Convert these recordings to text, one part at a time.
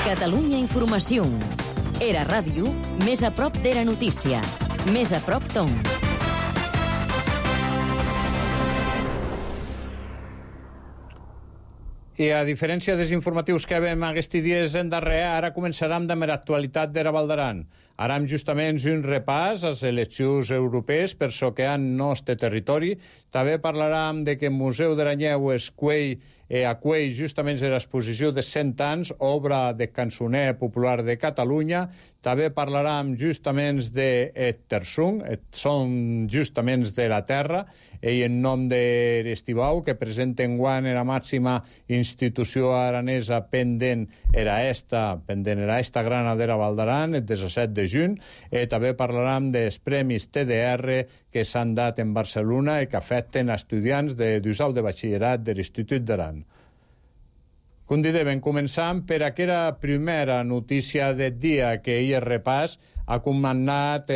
Catalunya Informació. Era ràdio, més a prop d'Era Notícia. Més a prop d'on. I a diferència dels informatius que vam aquests dies en darrer, ara començarem amb l'actualitat d'Era Val d'Aran. Aram justament un repàs a les eleccions europees per so que han nostre territori. També parlarem de que el Museu d'Aranyeu acull justament l'exposició de 100 anys, obra de cançoner popular de Catalunya. També parlarem justament de Tersung, són justament de la terra, i en nom de l'Estibau, que presenten guant la màxima institució aranesa pendent era esta grana d'Era Val d'Aran, el 17 de juny. També parlarem dels premis TDR que s'han dat en Barcelona i que afecten estudiants de d'usau de batxillerat de l'Institut d'Aran. Com dèiem, començam per aquella primera notícia del dia que ahir repàs ha comandat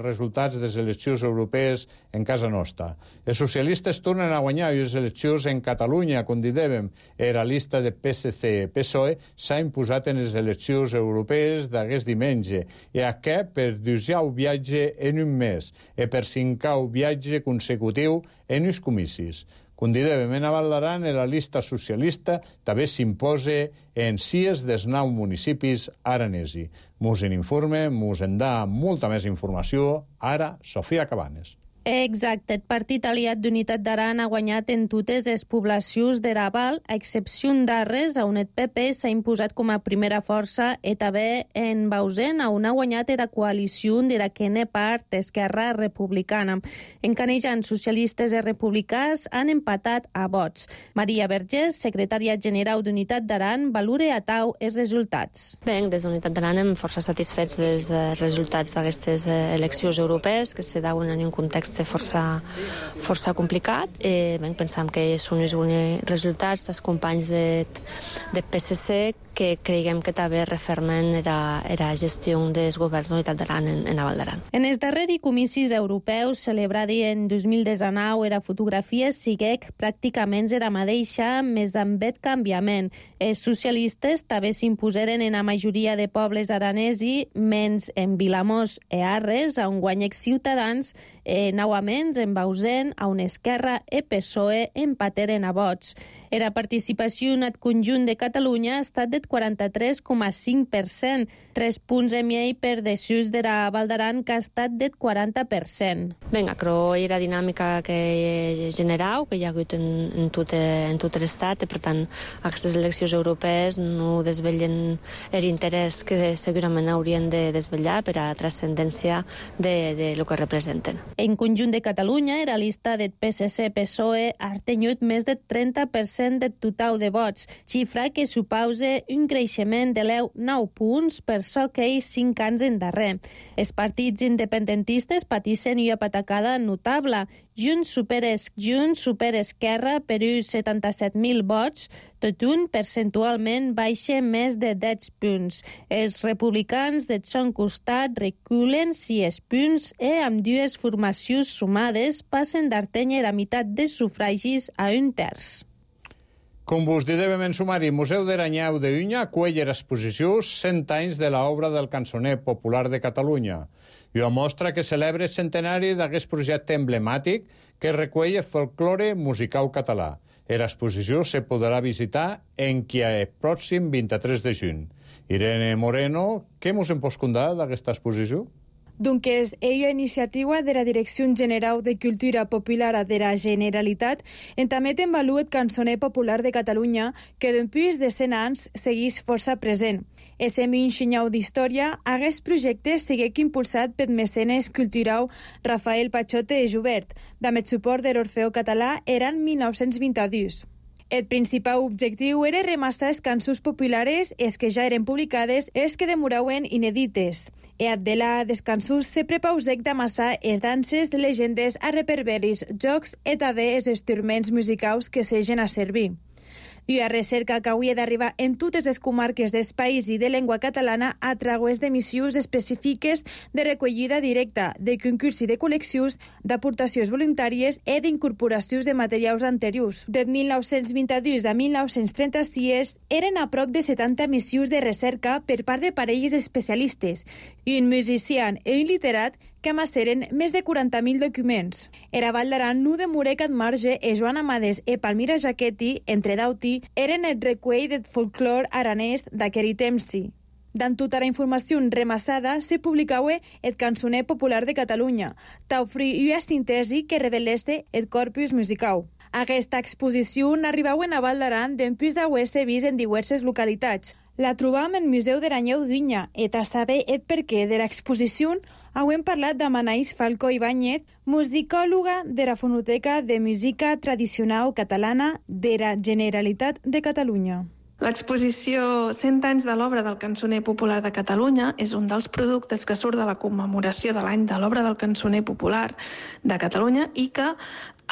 resultats de les eleccions europees en casa nostra. Els socialistes tornen a guanyar les eleccions en Catalunya, com dèiem, la llista de PSC-PSOE s'ha imposat en les eleccions europees d'aquest diumenge, i aquest per 10è viatge en un mes i per 5è viatge consecutiu en uns comicis. Com dèiem, en Val d'Aran, la llista socialista també s'imposa en 6 dels 9 municipis aranesi. Mos en informe, mos en da molta més informació, ara Sofia Cabanes. Exacte, el Partit Aliat d'Unitat d'Aran ha guanyat en totes les poblacions d'Era Val, a excepció d'Arres, on el PP s'ha imposat com a primera força, i també en Bausen, on ha guanyat la coalició de la que n'he part Esquerra Republicana. En Canejan, socialistes i republicans han empatat a vots. Maria Vergés, secretària general d'Unitat d'Aran, valora a tau els resultats. Bé, des d'Unitat d'Aran hem força satisfets dels resultats d'aquestes eleccions europees, que se dauen en un context força complicat. Pensam que són uns bons resultats dels companys del PSC, que creiem que també refermen la gestió dels governs d'Unitat d'Aran en Val d'Aran. En els darrers comicis europeus celebrats en 2019, la fotografia siguec pràcticament la mateixa, més amb el canviament. Els socialistes també s'imposeren en la majoria de pobles aranesi, menys en Vilamós i Arres, on guanyec Ciutadans, novament en Bausen, on Esquerra i PSOE empateren a vots. La participació en el conjunt de Catalunya ha estat del 43,5%, 3 punts i mig per desús de la Val d'Aran, que ha estat del 40%. Bé, però la dinàmica que generau, que hi ha hagut en tot l'estat, i per tant aquestes eleccions europees no desvellen l'interès que segurament haurien de desvetllar per a transcendència de lo que representen. En conjunt de Catalunya, la llista del PSC-PSOE ha tingut més del 30% del total de vots, xifra que suposa un creixement de 9 punts per so que ells 5 anys endarrer. Els partits independentistes patissen una patacada notable. Junts supera Esquerra per uns 77.000 vots, tot un percentualment baixa més de 10 punts. Els republicans del son costat reculen 6 punts i amb dues formacions sumades passen d'artenya la meitat dels sufragis a un terç. Com vos dèiem en sumari, Museu d'Aranyeu de Unya acull l'exposició 100 anys de l'obra del cançoner popular de Catalunya. I ho mostra que celebra el centenari d'aquest projecte emblemàtic que recull el folklore musical català. L'exposició se podrà visitar enquia el pròxim 23 de juny. Irene Moreno, què mos en pots contar d'aquesta exposició? Donc és una iniciativa de la Direcció General de Cultura Popular de la Generalitat en també en valor el cançoner popular de Catalunya, que després de 100 anys segueix força present. Ese minxinyau d'història, aquest projecte segueix impulsat per mecenes cultural Rafael Pachote i Jubert, amb el suport de l'Orfeó Català eren 1922. El principal objectiu era remassar les cançons populares, les que ja eren publicades, les que demoraven inèdites. E de les cançons se prepausec d'amassar les danses, legendes, a reperberis, jocs i també els instruments musicals que s'egen a servir. Una recerca que hauria d'arribar en totes les comarques del país i de llengua catalana a través de missions específiques de recollida directa, de concurs i de col·leccions, d'aportacions voluntàries i d'incorporacions de materials anteriors. De 1922 a 1936 eren a prop de 70 missions de recerca per part de parelles especialistes i un musicià i un literat que amasseren més de 40.000 documents. Era Vall d'Aran no demorer que Marge e Joan Amades e Palmira Jaquetti, entre d'auti, eren el recuell del folclor aranès d'aquell temps-ci. Dan tota la informació remassada se publicava el Cançoner Popular de Catalunya, t'ofri una síntesi que reveleste el corpus musical. Aquesta exposició arribava a Vall d'Aran després d'haver-se vist en diverses localitats. La trobam en Museu d'Aranyeu d'Unya i a saber el perquè de l'exposició hem parlat amb Anaïs Falcó Ibáñez, musicòloga de la Fonoteca de Música Tradicional Catalana de la Generalitat de Catalunya. L'exposició 100 anys de l'obra del Cançoner Popular de Catalunya és un dels productes que surt de la commemoració de l'any de l'obra del Cançoner Popular de Catalunya i que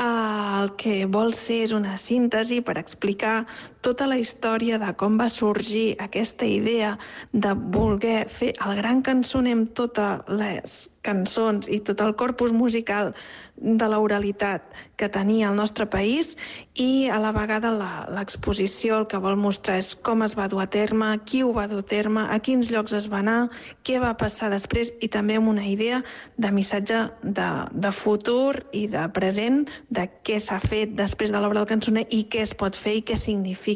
el que vol ser és una síntesi per explicar tota la història de com va sorgir aquesta idea de voler fer el gran cançoner amb totes les cançons i tot el corpus musical de l'oralitat que tenia el nostre país i a la vegada l'exposició el que vol mostrar és com es va dur a terme, qui ho va dur a terme, a quins llocs es va anar, què va passar després i també amb una idea de missatge de futur i de present de què s'ha fet després de l'obra del cançoner i què es pot fer i què significa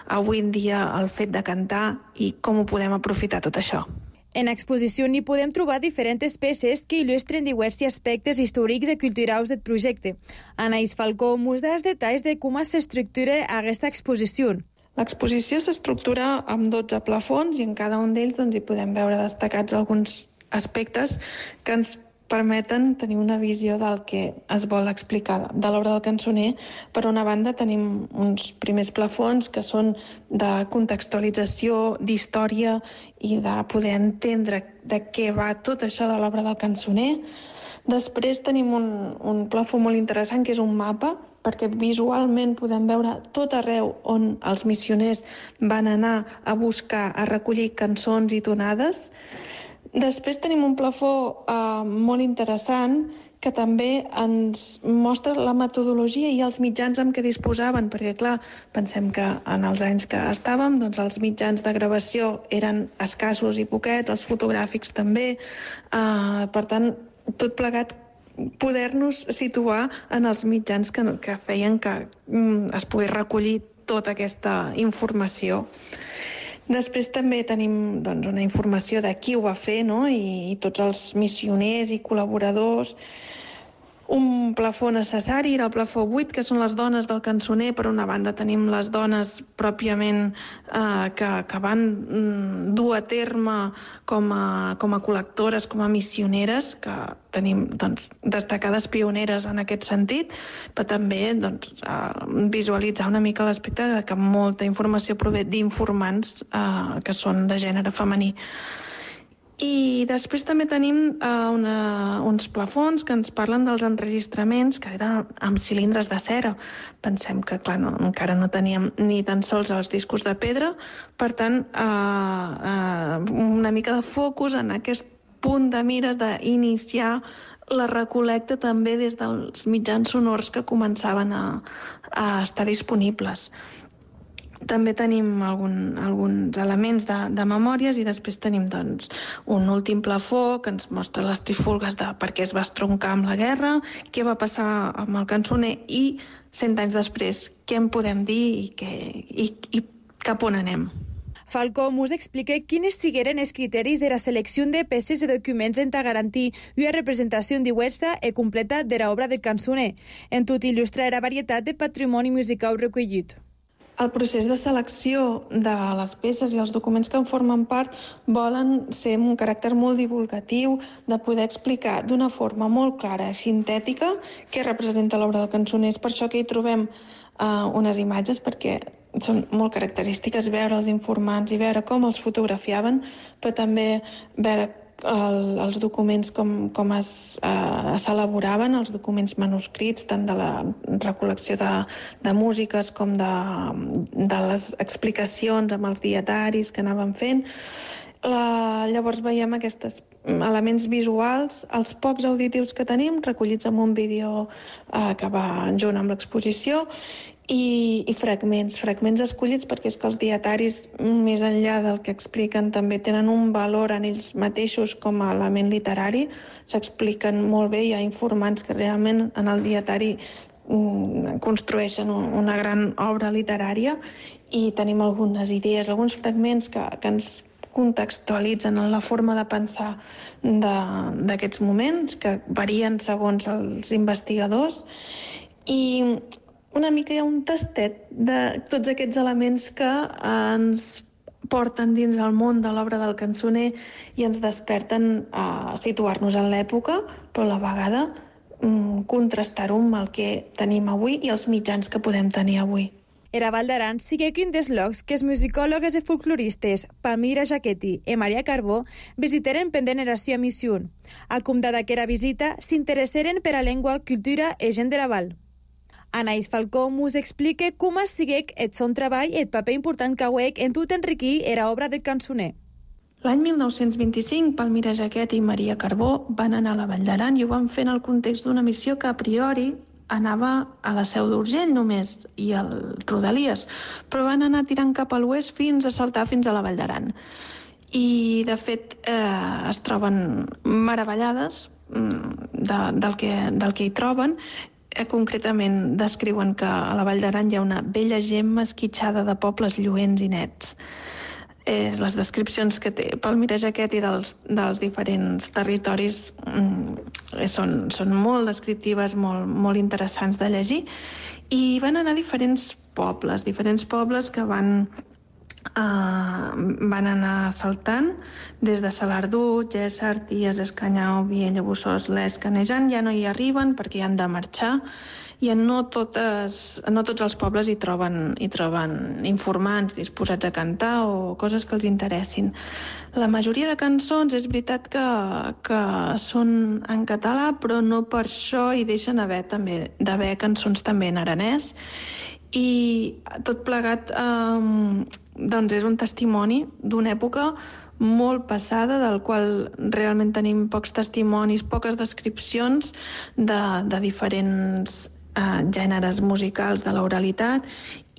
avui en dia el fet de cantar i com ho podem aprofitar tot això. En l'exposició n'hi podem trobar diferents peces que il·lustren diversos aspectes històrics i culturals del projecte. Anaïs Falcó mos da els detalls de com s'estructura aquesta exposició. L'exposició s'estructura amb 12 plafons i en cada un d'ells hi podem veure destacats alguns aspectes que ens permeten tenir una visió del que es vol explicar de l'obra del cançoner. Per una banda, tenim uns primers plafons que són de contextualització, d'història i de poder entendre de què va tot això de l'obra del cançoner. Després tenim un plafó molt interessant que és un mapa, perquè visualment podem veure tot arreu on els missioners van anar a buscar, a recollir cançons i tonades. Després tenim un plafó molt interessant que també ens mostra la metodologia i els mitjans amb què disposaven, perquè, clar, pensem que en els anys que estàvem, doncs els mitjans de gravació eren escassos i poquets, els fotogràfics també. Per tant, tot plegat poder-nos situar en els mitjans que feien que es pogués recollir tota aquesta informació. Després també tenim una informació de qui ho va fer, no? I tots els missioners i col·laboradors. Un plafó necessari era el plafó 8, que són les dones del cançoner. Per una banda tenim les dones pròpiament que van dur a terme com a col·lectores, com a missioneres, que tenim destacades pioneres en aquest sentit, però també visualitzar una mica l'aspecte de que molta informació prové d'informants que són de gènere femení. I després també tenim uns plafons que ens parlen dels enregistraments que eren amb cilindres de cera. Pensem que, clar, encara no teníem ni tan sols els discos de pedra, per tant, una mica de focus en aquest punt de mires d'iniciar la recol·lecta també des dels mitjans sonors que començaven a estar disponibles. També tenim alguns elements de memòries i després tenim un últim plafó que ens mostra les trifulgues de per què es va estroncar amb la guerra, què va passar amb el cançoner i 100 anys després què en podem dir i cap on anem. Falcó mos explica quines sigueren els criteris de la selecció de peces i documents en garantir una representació diversa i completa de l'obra del cançoner, en tot il·lustrar la varietat de patrimoni musical recollit. El procés de selecció de les peces i els documents que en formen part volen ser amb un caràcter molt divulgatiu, de poder explicar d'una forma molt clara i sintètica què representa l'obra del cançoner. És per això que hi trobem unes imatges, perquè són molt característiques veure els informants i veure com els fotografiaven, però també veure els documents com s'elaboraven, els documents manuscrits, tant de la recol·lecció de músiques com de les explicacions amb els dietaris que anaven fent. Llavors veiem aquests elements visuals, els pocs auditius que tenim, recollits en un vídeo que va junt amb l'exposició, i fragments escollits perquè és que els dietaris, més enllà del que expliquen, també tenen un valor en ells mateixos com a element literari, s'expliquen molt bé, hi ha informants que realment en el dietari construeixen una gran obra literària, i tenim algunes idees, alguns fragments que ens contextualitzen en la forma de pensar d'aquests moments, que varien segons els investigadors, i una mica hi ha un tastet de tots aquests elements que ens porten dins el món de l'obra del cançoner i ens desperten a situar-nos en l'època, però a la vegada contrastar-ho amb el que tenim avui i els mitjans que podem tenir avui. Era Vall d'Aran siguec un dels llocs que els musicòlogues i folcloristes Palmira Jaquetti i Maria Carbó visiteren pendent era sua missió. Acomdada aquera visita, s'interesseren per a llengua, cultura i gent de la Val. Anaïs Falcó mos explica com siguec el son treball i el paper important que hauec en tot enriquir era obra del cançoner. L'any 1925, Palmira Jaquetti i Maria Carbó van anar a la Vall d'Aran i ho van fer en el context d'una missió que a priori anava a la Seu d'Urgell només i al Rodalies, però van anar tirant cap a l'oest fins a saltar fins a la Vall d'Aran. I, de fet, es troben meravellades del que hi troben. Concretament descriuen que a la Vall d'Aran hi ha una bella gemma esquitxada de pobles lluents i nets. Les descripcions que té Palmira Jaquetti dels diferents territoris són molt descriptives, molt interessants de llegir, i van anar a diferents pobles que van anar saltant des de Salardú, Géssar, Ties, Escanyau, Viella, Bossòst, Les, Canejant. Ja no hi arriben perquè hi han de marxar, i no tots els pobles hi troben informants disposats a cantar o coses que els interessin. La majoria de cançons és veritat que són en català, però no per això hi deixen d'haver cançons també en aranès, i tot plegat doncs és un testimoni d'una època molt passada, del qual realment tenim pocs testimonis, poques descripcions de diferents gèneres musicals de l'oralitat,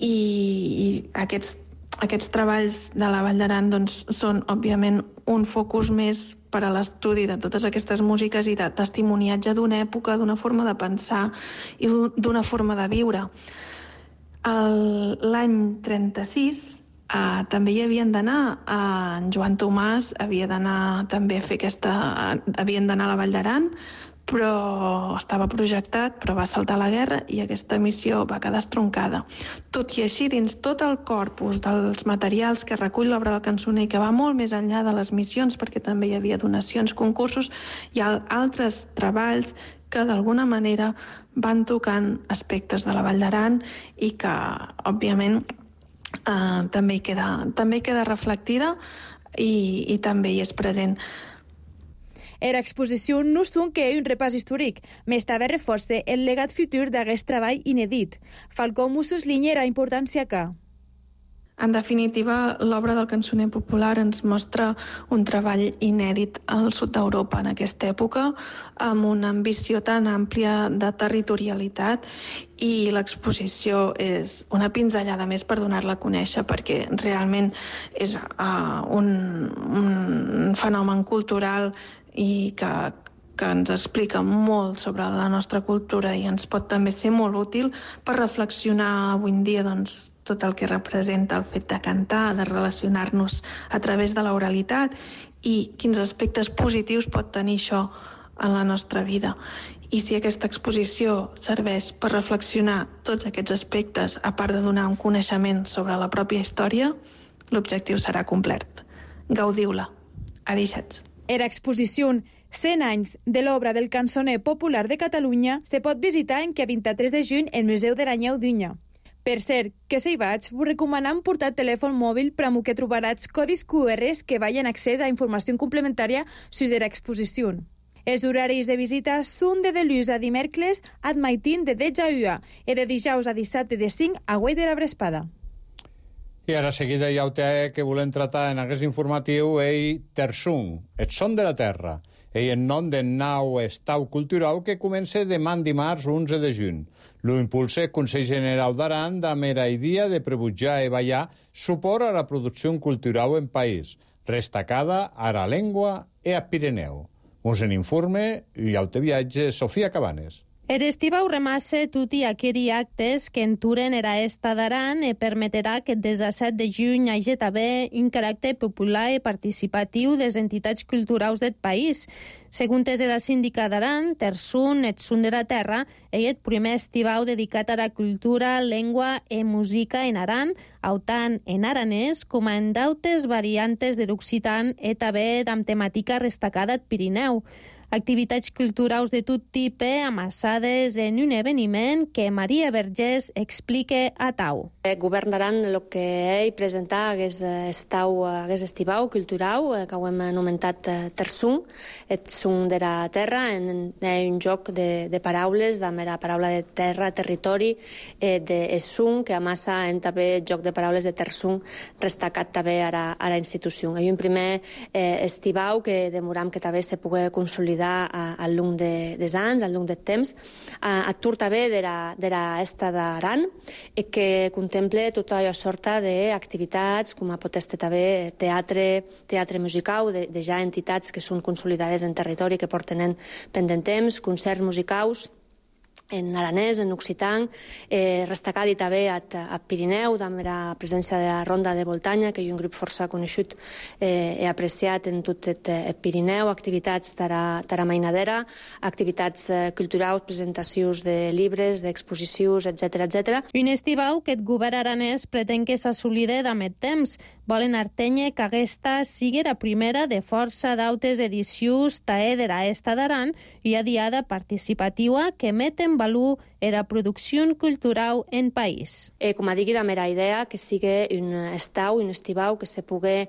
i aquests treballs de la Vall d'Aran doncs, són, òbviament, un focus més per a l'estudi de totes aquestes músiques i de testimoniatge d'una època, d'una forma de pensar i d'una forma de viure. L'any 36 també hi havien d'anar, en Joan Tomàs havia d'anar també a fer havien d'anar a la Vall d'Aran, però estava projectat, però va saltar la guerra i aquesta missió va quedar estroncada. Tot i així, dins tot el corpus dels materials que recull l'obra del cançoner, que va molt més enllà de les missions, perquè també hi havia donacions, concursos, hi ha altres treballs que d'alguna manera van tocant aspectes de la Vall d'Aran i que, òbviament, també queda reflectida i també hi és present. Era exposició no són que hi ha un repàs històric, més també reforça el legat futur d'aquest treball inèdit. Falcó Mussos linea la importància que... En definitiva, l'obra del cançoner popular ens mostra un treball inèdit al sud d'Europa en aquesta època, amb una ambició tan àmplia de territorialitat, i l'exposició és una pinzellada més per donar-la a conèixer, perquè realment és un fenomen cultural i que ens explica molt sobre la nostra cultura i ens pot també ser molt útil per reflexionar avui en dia tot el que representa el fet de cantar, de relacionar-nos a través de l'oralitat i quins aspectes positius pot tenir això en la nostra vida. I si aquesta exposició serveix per reflexionar tots aquests aspectes, a part de donar un coneixement sobre la pròpia història, l'objectiu serà complet. Gaudiu-la. Adéixats. Era exposició 100 anys de l'obra del cançoner popular de Catalunya se pot visitar en que 23 de juny el Museu de l'Anyeu d'Unya. Per cert, que si hi vaig, vos recomanam portar telèfon mòbil per a que trobaràs codis QRs que veien accés a informació complementària sobre l'exposició. Els horaris de visita són de dilluns a dimecres ad maitin de 10 a 1 i de dijous a dissabte de 5 a 8 de la vesprada. I ara seguida hi ha que volem tratar en aquest informatiu Tersung, el son de la terra, en nom del nou estau cultural que comença demà dimarts 11 de juny. Lo impulsa el Consell General d'Aran damb era idea de prebujar i ballar suport a la producció cultural en país, destacada a la llengua i a Pirineu. Mos en informe i autoviatge Sofia Cabanes. Estivau remasse tutti aqueri actes que enturen era esta d'Aran e permetrà que des de 7 de juny hagi també un caràcter popular i participatiu des entitats culturals del país. Segons era síndica d'Aran, Tersung, et son de la terra, és el primer estivau dedicat a la cultura, llengua i música en Aran, autant en aranès com en d'autes variantes de l'occitan i també amb temàtica destacada al Pirineu. Activitats culturals de tot tipus amassades en un eveniment que Maria Vergés explica a Tau. El govern d'Aran el que presenta aquest estivau cultural que ho hem anomenat Tersung, et sung de la terra, en un joc de paraules, de la paraula de terra, territori, de sung, que amassa en també el joc de paraules de Tersung, destacat també a la institució. Hi ha un primer estivau que demoram que també se pugui consolidar al long dels anys, al long del temps, atur també de l'esta d'Aran, que contempla tota la sorta d'activitats, com a pot estar també teatre musical, de ja entitats que són consolidades en territori, que porten pendent temps, concerts musicals, en aranès, en occitan, destacat també a Pirineu, amb la presència de la Ronda de Voltanya, que és un grup força conegut i apreciat en tot el Pirineu, activitats de mainadera, activitats culturals, presentacions de llibres, d'exposicions, etc. Un estivau que el govern aranès pretén que s'assolide amb el temps. Volen artenye que aquesta sigui la primera de força d'autes edicions tae de la esta d'Aran i a diada participativa que met en valor la producció cultural en país. Com a digui, la mera idea que sigui un estivau que se pugui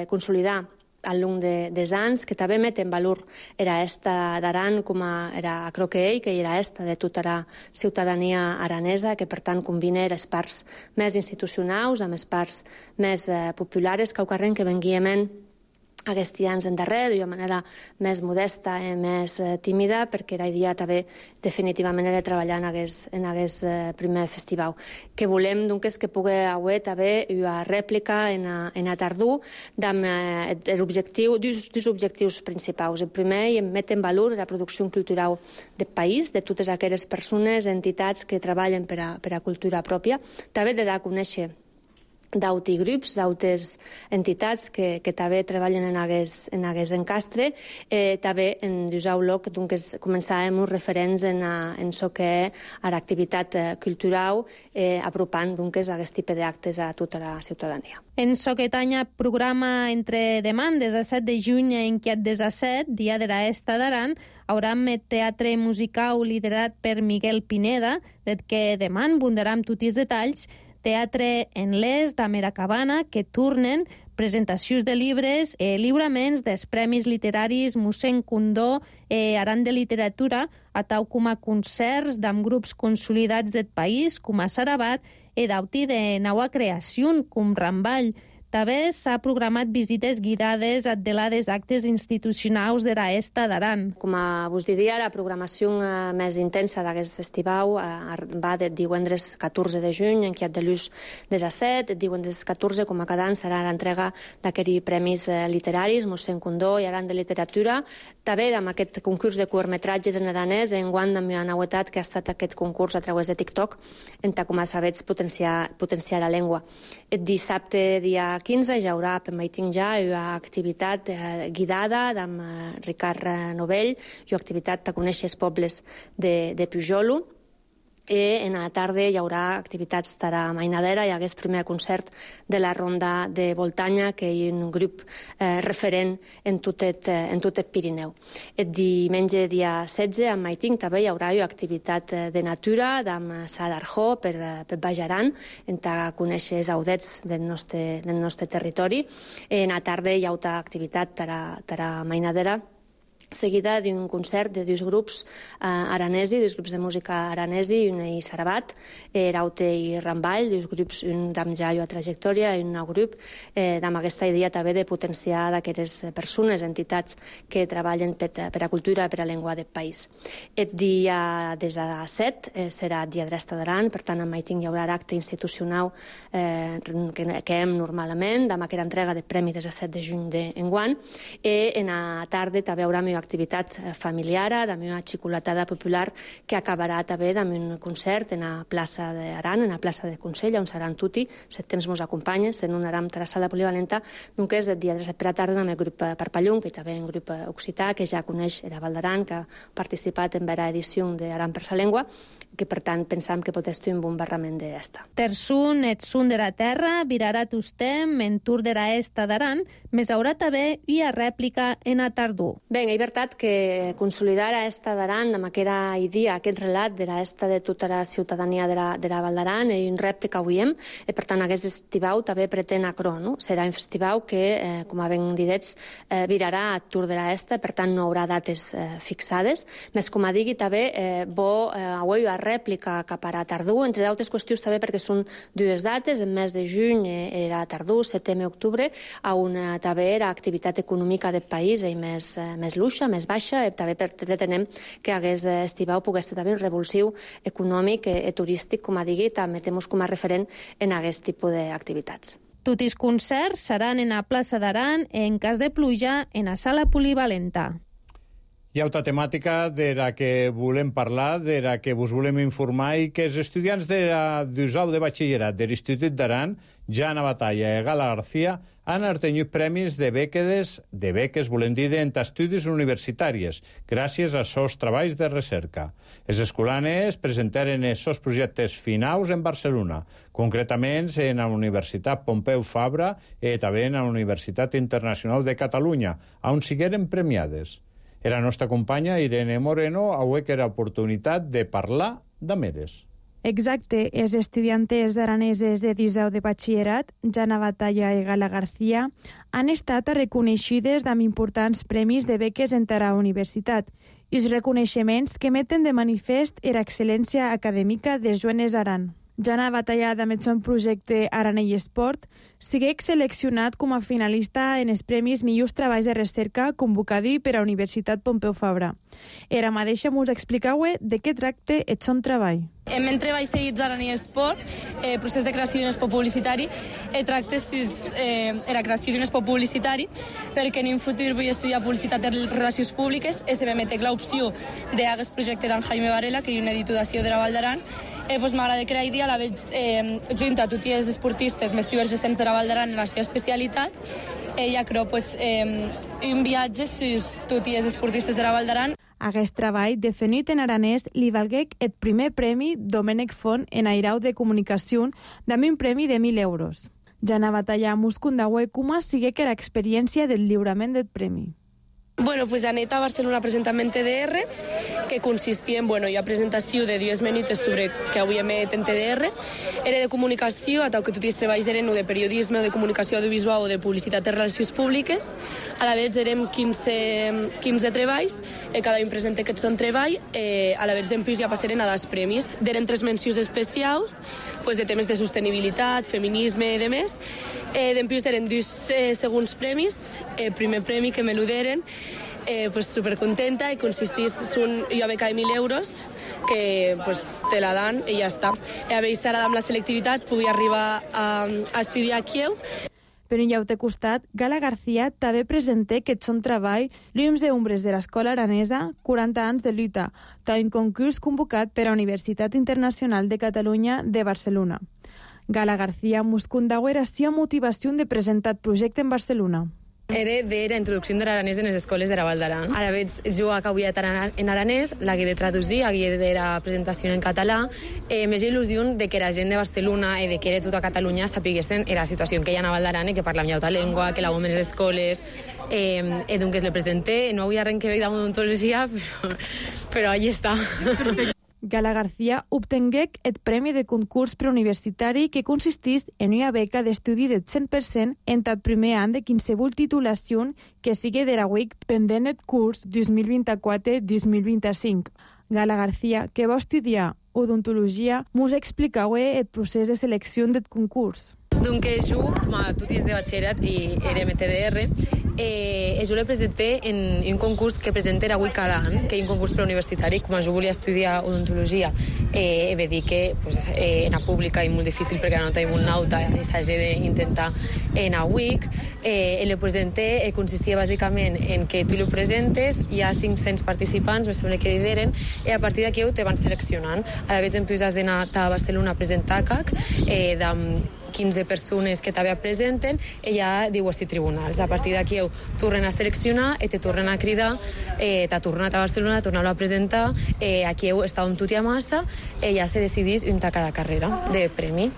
consolidar al long dels anys, que també met en valor era esta d'Aran com era croquei, que era esta de tota la ciutadania aranesa, que per tant combina les parts més institucionals amb les parts més populares que venguiem aquests anys endarrere, d'una manera més modesta i més tímida, perquè la idea també definitivament era treballar en aquest primer festival. Que volem, doncs, que pugui haver també una rèplica en a tardor amb dos objectius principals. El primer, met en valor la producció cultural del país, de totes aquelles persones, entitats que treballen per a cultura pròpia, també de dar a conèixer d'auti grups, d'autes entitats que també treballen en aquest encastre, també en l'usau loc, doncs començàvem uns referents en això que és l'activitat cultural, apropant doncs aquest tipus d'actes a tota la ciutadania. En Soquetanya programa entre demà, des de 7 de juny en Quiat 17, dia de la Esta d'Aran, haurà un teatre musical liderat per Miguel Pineda, des que demà bundaram tots els detalls, teatre en l'est d'Amera Cabana, que turnen presentacions de llibres, lliuraments dels premis literaris Mossèn Condó, Aran de Literatura, a tau com a concerts d'amb grups consolidats del país, com a Sarabat, i d'auti de nova creació, com Ramball. També s'ha programat visites guiades a delades actes institucionals de la Esta d'Aran. Com vos diria, la programació més intensa d'aquest estivau va de divendres 14 de juny, en Quiat de Lluç 17, divendres 14, com a cada any, serà l'entrega d'aquests premis literaris, Mossèn Condó i Aran de Literatura. També amb aquest concurs de curtmetratges en aranès, enguany amb una novetat que ha estat aquest concurs a través de TikTok, en com a sabets potenciar la llengua. El dissabte, dia 15, hi haurà per meiting ja una activitat guidada amb Ricard Novell, una activitat a conèixer els pobles de Pujolo, en la tarda hi haurà activitats tara mainadera, hi hagués primer concert de la ronda de Voltanya, que hi ha un grup referent en tot el Pirineu. El diumenge dia 16 a Maiting també hi haurà activitat de natura amb Sara Arjó per Baix Aran, en conèixer els audets del nostre territori. En la tarda hi haurà activitat tara mainadera, seguida d'un concert de dos grups aranesi, dos grups de música aranesi, un i Sarabat, Raute i Ramball, dos grups, un d'am Jaio a trajectòria i un nou grup, amb aquesta idea també de potenciar d'aquestes persones, entitats que treballen per a cultura i per a llengua del país. El dia 17 serà dia d'Esta d'Aran, per tant, en Maiting hi haurà acte institucional que hem normalment, amb aquesta entrega del Premi 17 de juny d'enguany, i en la tarda també hi haurà activitat familiar, amb una xocolatada popular que acabarà també amb un concert en la plaça d'Aran, en la plaça de Consell, on seran tutti, 7 temps mos acompanya, sent un aram a la sala polivalenta, doncs és el dia de per la tarda amb el grup Parpallung, que també és un grup occità, que ja coneix era Val d'Aran, que ha participat en vera edició d'Aran per sa llengua, que per tant pensam que pot estar un bon barrament d'esta. Tersun, etsun de la terra, virarà tustem, en tur de la esta d'Aran, més haurà també i a rèplica en a tardor. Ben, és veritat que consolidar a Esta d'Aran amb aquesta idea, aquest relat de l'esta de tota la ciutadania de la Val d'Aran és un repte que avui hem, i per tant aquest estivau també pretén acrò, no? Serà un estivau que, com ben didets, virarà a Tour de l'Esta, per tant no haurà dates fixades, més com a digui també bo avui a rèplica cap a tardor, entre d'altres qüestions també perquè són dues dates, en mes de juny era tardor, setembre i octubre, on també era activitat econòmica del país i més luxa, més baixa, i també pretenem que hagués estivau pogués ser també un revulsiu econòmic i turístic, com a digui, també tenim com a referent en aquest tipus d'activitats. Tots els concerts seran en la plaça d'Aran, en cas de pluja, en la sala polivalenta. Hi ha altra temàtica de la que volem parlar, de la que vos volem informar, i que els estudiants d'USAU de batxillerat de l'Institut d'Aran, Jana Batalla i Gala García, han obtingut premis de beques, volem dir, d'estudis universitàries, gràcies a seus treballs de recerca. Els escolanes presentaren els seus projectes finals en Barcelona, concretament en la Universitat Pompeu Fabra i també en la Universitat Internacional de Catalunya, on sigueren premiades. La nostra companya Irene Moreno avui que era oportunitat de parlar d'Ameres. Exacte, els estudiantes araneses de l'USAU de batxillerat, Jana Batalla i Gala García, han estat reconeixides amb importants premis de beques en la universitat i els reconeixements que meten de manifest l'excel·lència acadèmica de Joanes Aran. Jana Batalla, amb el seu projecte Aranell Esport, sigué seleccionat com a finalista en els Premis Millors Treballs de Recerca convocadi per a la Universitat Pompeu Fabra. Era mateixa mos explicau de què tracta el seu treball. En meu treball seguit Aranell Esport, procés de creació d'un espot publicitari, tracta la creació d'un espot publicitari, perquè en un futur vull estudiar publicitat de relacions públiques i se me mete l'opció d'aquest projecte d'en Jaime Varela, que és un editor d'acció de la Val d'Aran. M'agrada crear idea, la veig junta a tots els esportistes més divergents de la Val d'Aran en la seva especialitat. Ja creu un viatge sus tots els esportistes de la Val d'Aran. Aquest treball, definit en aranès, li valgué el primer premi Domènec Font en Airau de Comunicació, amb un premi de 1.000 euros. Jana Batalla Muscundaue, com sigué que l'experiència del lliurament del premi? Bueno, pues anet a Barcelona presentant TDR, que consistia en la presentació de 10 minuts sobre que avui emet en TDR. Era de comunicació, atau que tots els treballs eren o de periodisme, o de comunicació audiovisual, o de publicitat de relacions públiques. A la vegada érem 15 treballs, cada un presenta aquest son treball, a la vegada d'empús ja passaren a dels premis. D'eren 3 mencions especials, de temes de sostenibilitat, feminisme i demés. D'empús eren 2 segons premis, el primer premi que me l'uderen, supercontenta, i consistís en una beca de 1.000 euros que te la dan i ja està. A veure, ara amb la selectivitat pugui arribar a estudiar a Kiev. Per un llaute costat, Gala García també presenta que son treball Llums i ombres de l'Escola Aranesa, 40 anys de lluita, tal un concurs convocat per a la Universitat Internacional de Catalunya de Barcelona. Gala García Muscundaue era la motivació de presentar el projecte en Barcelona. Era de la introducció de l'aranès en les escoles de la Val d'Aran. Ara veig jugar que avui en aranès, l'hagué de traducir, hagué de la presentació en català. Més il·lusió de que la gent de Barcelona i de que era tota Catalunya sapiguessin la situació que hi ha a Val d'Aran i que parlem ja altra llengua, que la en les escoles. Donc es le presenté, no havia res que veure amb odontologia, però allí està. Gala García obtengué el premi de concurs preuniversitari que consistís en una beca d'estudi del 100% en el primer any de qualsevol titulació que sigui de la UIC pendent el curs 2024-2025. Gala García, que va estudiar odontologia, mos explica el procés de selecció del concurs. Donc, jo, com a tutis de batxillerat i era MTDR, jo le presenté en un concurs que presenta avui cada any, que és un concurs preuniversitari. Com jo volia estudiar odontologia, ve dir que en la pública és molt difícil perquè no tenim un nauta i s'hagi d'intentar en la UIC. Le presenté, consistia bàsicament en que tu lo presentes, hi ha 500 participants, me sembla que lideren, i a partir d'aquí te van seleccionant. Ara veig en plus has d'anar a Barcelona a presentar CAC, 15 persones que també presenten, i ja diu els tribunals. A partir d'aquí tornen a seleccionar i te tornen a cridar, t'ha tornat a Barcelona, tornar-lo a presentar, aquí està on tu t'hi amassa, i ja se decidís una cada carrera de premi.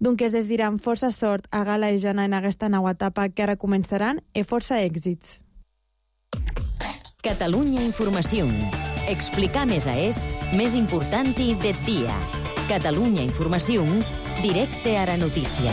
Donc es desitjam força sort a Gala i Jana en aquesta nova etapa que ara començaran i força èxits. Catalunya Informació. Explicar més més important del dia. Catalunya Informació, directe a la notícia.